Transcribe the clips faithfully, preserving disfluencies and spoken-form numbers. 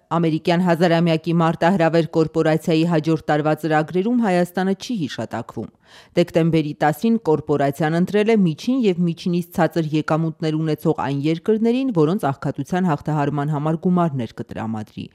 Ամերիկյան հազարամյակի մարտահրավեր կորպորացիայի հաջորդ տարվա ծրագրերում Հայաստանը չի հիշատակվում։ Դեկտեմբերի տասին կորպորացիան ընտրել է միջին և միջինից ցածր եկամուտներ ունեցող այն երկրներին, որոնց աղքատության հաղթահարման համար գումարներ կտրամադրի։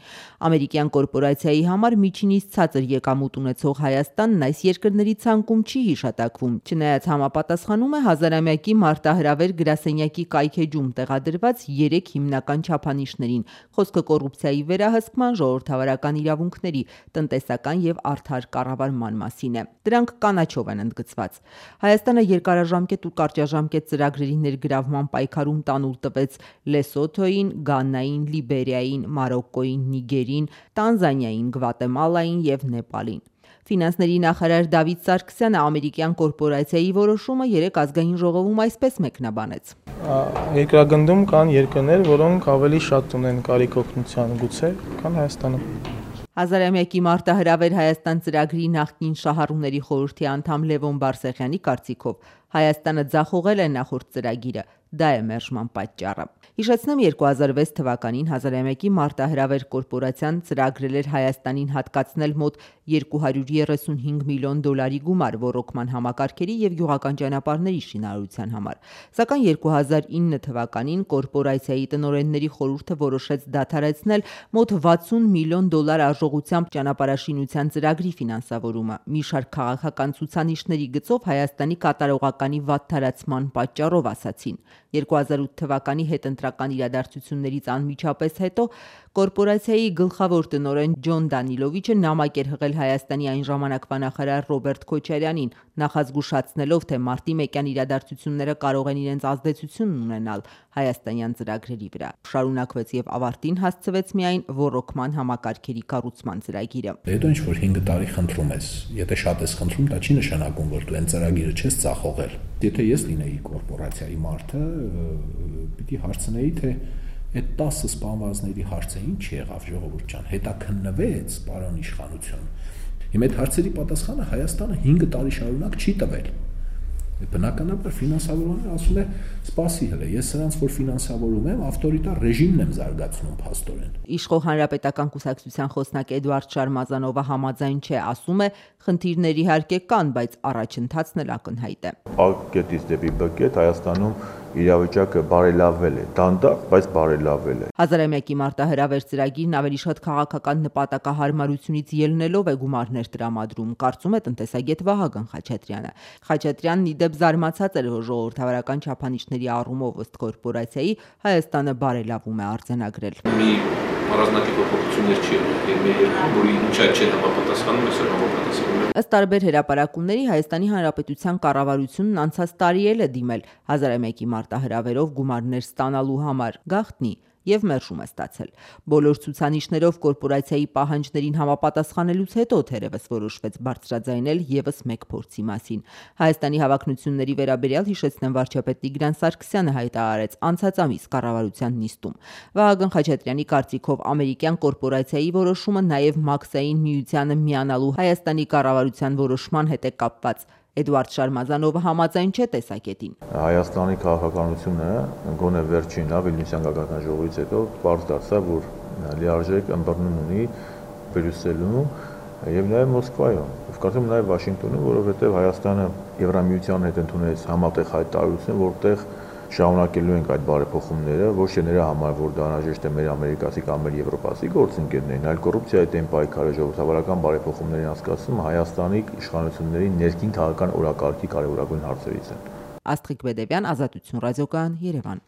Ամերիկյան կորպորացիայի համար միջինից ցածր եկամուտ ունեցող Հայաստանն այս երկրների ցանկում չի հիշատակվում, չնայած համապատասխանում է հազարամյակի մարտահրավեր գրասենյակի կայքէջում տեղադրված երեք հիմնական չափանիշներին՝ խոսքը կոռուպցիայի վերահսկման, ժողովրդավարական իրավունքների, տնտեսական և արդար կառավարման մասին է։ Դրանք կանաչով են ընդգծված։ Հայաստանը երկարաժամկետ ու կարճաժամկետ ծրագրերի ներգրավման պայքարում տանուլ տվեց Լեսոթոյին, Գանային, Լիբերիային, Մարոկկոյին, Նիգերին, Տանզանիային, Գվատեմալային և Նեպալին։ Ֆինանսների նախարար Դավիթ Սարգսյանը ամերիկյան կորպորացիայի որոշումը երեկ ազգային ժողովում այսպես մեկնաբանեց. Երկրագնդում կան երկրներ, որոնք ավելի շատ ունեն կարիք օգնության գուցե, քան Հայաստանը։ Հազարամյակի մարտահրավեր Հայաստան ծրագրի նախկին շահառուների խորհրդի անդամ Լևոն Բարսեղյանի կարծիքով Հայաստանը ձախողել է նախորդ ծրագիրը, դա է մերժման պատճառը։ Հիշեցնեմ, երկու հազար վեց թվականին հազարամյակի մարտահրավեր կորպորացիան ծրագրել էր Հայաստանին հատկացնել մոտ երկու հարյուր երեսունհինգ միլիոն դոլարի գումար ոռոգման համակարգերի և գյուղական ճանապարհների շինարարության համար։ Սակայն երկու հազար ինը թվականին կորպորացիայի տնօրենների խորհուրդը որոշեց դադարեցնել մոտ վաթսուն միլիոն դոլար արժողությամբ ճանապարհաշինության ծրագրի ֆինանսավորումը՝ մի շարք քաղաքական ցուցանիշների գծով Հայաստանի կատարողականի վատթարացման պատճառով, ասացին։ երկու հազար ութ թվականի հետընտրական իրադարձություններից անմիջապես հետո կորպորացիայի գլխավոր տնօրեն Ջոն Դանիլովիչը նամակ էր հղել Հայաստանի այն ժամանակվա նախարար Ռոբերտ Քոչարյանին, նախազգուշացնելով, թե մարտի մեկյան իրադարձությունները կարող են իրենց ազդեցությունն ունենալ հայաստանյան ծրագրերի վրա։ Շարունակվեց և ավարտին հասցվեց միայն ոռոգման համակարգերի կառուցման ծրագիրը։ Հետո ինչ որ հինգ տարի խնդրում ես, եթե շատ ես խնդրում, դա չի նշանակում, որ դու այն ծրագիրը չես ծախողել։ Եթե ես լինեի կորպորացիայի մարդը, պիտի հարցնեի, թե այդ տասը սպանվածների հարցը ինչ եղավ, ժողովուրդ ջան, հետաքննվեց, պարոն իշխանություն։ Հիմա այդ հարցերի պատասխանը Հայաստանը հինգ տարի շարունակ չի տվել։ Բնականաբար ֆինանսավորողները ասում է, սպասի հələ, ես սրանց որ ֆինանսավորում եմ, ավտորիտար ռեժիմն եմ զարգացնում փաստորեն։ Իշխող Հանրապետական կուսակցության խոսնակ Էդուարդ Շարմազանովը համաձայն չէ, ասում է, խնդիրներ իհարկե կան, բայց առաջընթացն էլ ակնհայտ է։ Ա կետից դեպի Բ կետ Հայաստանում իրավիճակը բարելավվել է, դանդաղ, բայց բարելավվել է։ Հազարամյակի մարտահրավեր ծրագիրն ավելի շատ քաղաքական նպատակահարմարությունից ելնելով է գումարներ տրամադրում, կարծում է տնտեսագետ Վահագն Խաչատրյանը։ Խաչատրյանն ի դեպ զարմացած էր, որ ժողովրդավարական չափանիշների առումով ըստ կորպորացիայի Հայաստանը բարելավում է արձանագրել։ Մի առանձնակի փոփոխություններ չի եղել, որի միջա չեն համապատասխանում, այսօր համապատասխանում է։ Ըստ տարբեր հրապարակումների Հայաստանի Հանրապետության կառավարությունն անցած տարի էլ է դիմել հազարամյակի մարտահրավերով գումարներ ստանալու համար, գաղտնի և մերժում է ստացել։ Բոլոր ցուցանիշներով կորպորացիայի պահանջներին համապատասխանելուց հետո թերևս որոշվեց բարձրաձայնել ևս մեկ փորձի մասին։ Հայաստանի հավակնությունների վերաբերյալ հիշեցնեմ, վարչապետ Տիգրան Սարգսյանը հայտարարեց անցած ամիս կառավարության նիստում։ Վահագն Խաչատրյանի կարծիքով ամերիկյան կորպորացիայի որոշումը նաև Մաքսային միությանը միանալու Հայաստանի կառավարության որոշման հետ է կապված։ Էդուարդ Շարմազանովը համաձայն չէ տեսակետին։ Հայաստանի քաղաքականությունը գոնե վերջին Վիլնյուսյան գագաթնաժողովից հետո պարզ դարձավ, որ լիարժեք ըմբռնում ունի Բրյուսելում եւ նաեւ Մոսկվայում, եւ կարծում նաեւ Վաշինգտոնում, որովհետեւ Հայաստանը Եվրամիության հետ ընդունեց համատեղ հայտարարություն, որտեղ շարունակելու ենք այդ բարեփոխումները, ոչ թե նրա համար, որ դա անհրաժեշտ է մեր ամերիկացի կամ մեր եվրոպացի գործընկերներին, այլ կոռուպցիայի դեմ պայքարը, ժողովրդավարական բարեփոխումների անցկացումը Հայաստանի իշխանությունների ներքին քաղաքական օրակարգի կարևորագույն հարցերից են։ Աստղիկ Բեդևյան, Ազատություն ռադիոկայան, Երևան։